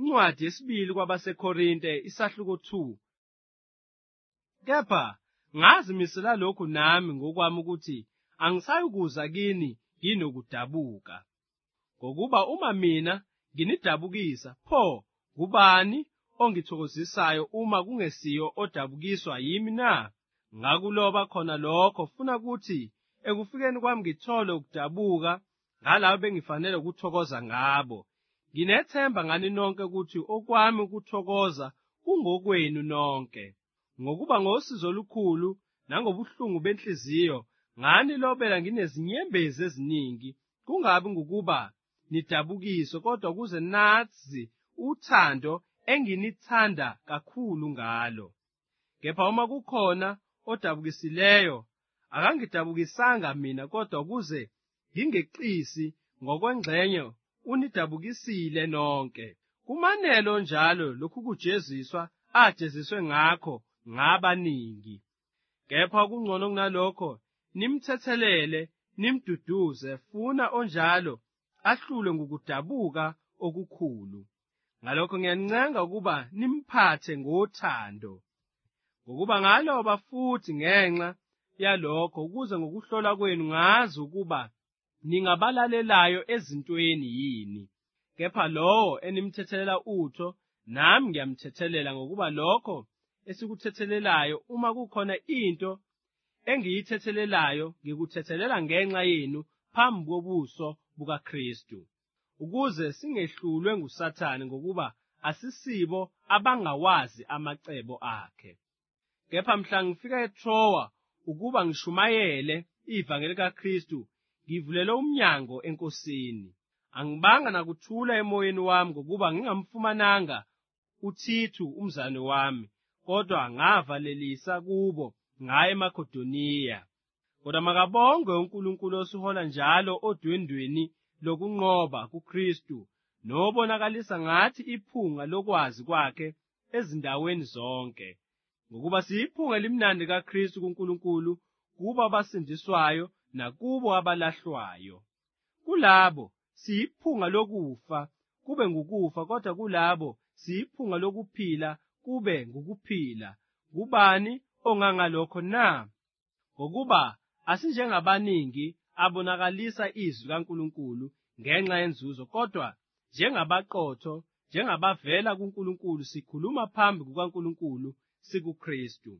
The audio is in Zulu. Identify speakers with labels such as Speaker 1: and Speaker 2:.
Speaker 1: Incwadi yesibili kwabaseKorinte isahluko 2. Kepha ngazimisela lokhu nami ngokwami ukuthi angisayukuza kini nginokudabuka. Ngokuba uma mina nginidabukisa, pho ngubani ongithokozisayo uma kungesiyo odabukiswa yimi na? Ngakuloba khona lokho funa ukuthi ekufikeni kwami ngithole ukudabuka ngalabo bengifanele ukuthokoza ngabo. Nginethemba ngani nonke ukuthi okwami ukuthokoza kungokwenu nonke. Ngokuba ngosizo olukhulu nangobuhlungu benhliziyo nganilobela nginezinyembezi eziningi, kungabi ngukuba nidabukiswe, kodwa ukuze nazi uthando enginithanda kakhulu ngalo. Kepha uma kukhona odabukisileyo, akangidabukisanga mina, kodwa ukuze ngingeqisi ngokwengxenye unidabukisile nonke. Kumanelo njalo lokhu kujeziswa ajeziswe ngakho ngabaningi. Kepha okungcono kunalokho, nimthethelele, nimduduze, funa onjalo ahlulwe ngukudabuka okukhulu. Ngalokho ngiyanincenga ukuba nimphathe ngothando. Ngokuba ngaloba futhi ngenxa yalokho, ukuze ngokuhlola kwenu ngazi ukuba ningabalalelayo ezintweni yini. Kepha lowo enimthethelela utho, nami ngiyamthethelela, ngokuba lokho esikuthethelelayo, uma kukhona into engiyithethelelayo, ngikuthethelela ngenxa yenu phambi kobuso bukaKristu, ukuze singehlulwe nguSathane, ngokuba asisibo abangawazi amacebo akhe. Kepha mhla ngifika eTrowa ukuba ngishumayele ivangeli kaKristu, ngivulele umnyango eNkosini. Angibanga nakuthula emoyeni wami, ngokuba ngingamfumananga uThithu umzane wami, kodwa ngavalelisa kubo ngaya eMakedoniya. Kodwa makabongwe uNkulunkulu osihola njalo odwendweni lokunqoba kuKristu, nobonakalisa ngathi iphunga lokwazi kwakhe ezindaweni zonke. Ngokuba siyiphunga elimnandi kaKristu kuNkulunkulu, kubo abasindiswayo nakubo abalahlwayo. Kulabo siyiphunga lokufa, kube ngukufa, kodwa kulabo siyiphunga lokuphila, kube ngukuphila. Kubani ongangalokho na? Ngokuba asinjengabaningi abonakalisa izwi kaNkulunkulu ngenxa yenzuzo, kodwa njengabaqotho, njengabavela kuNkulunkulu, sikhuluma phambi kukaNkulunkulu sikuKristu.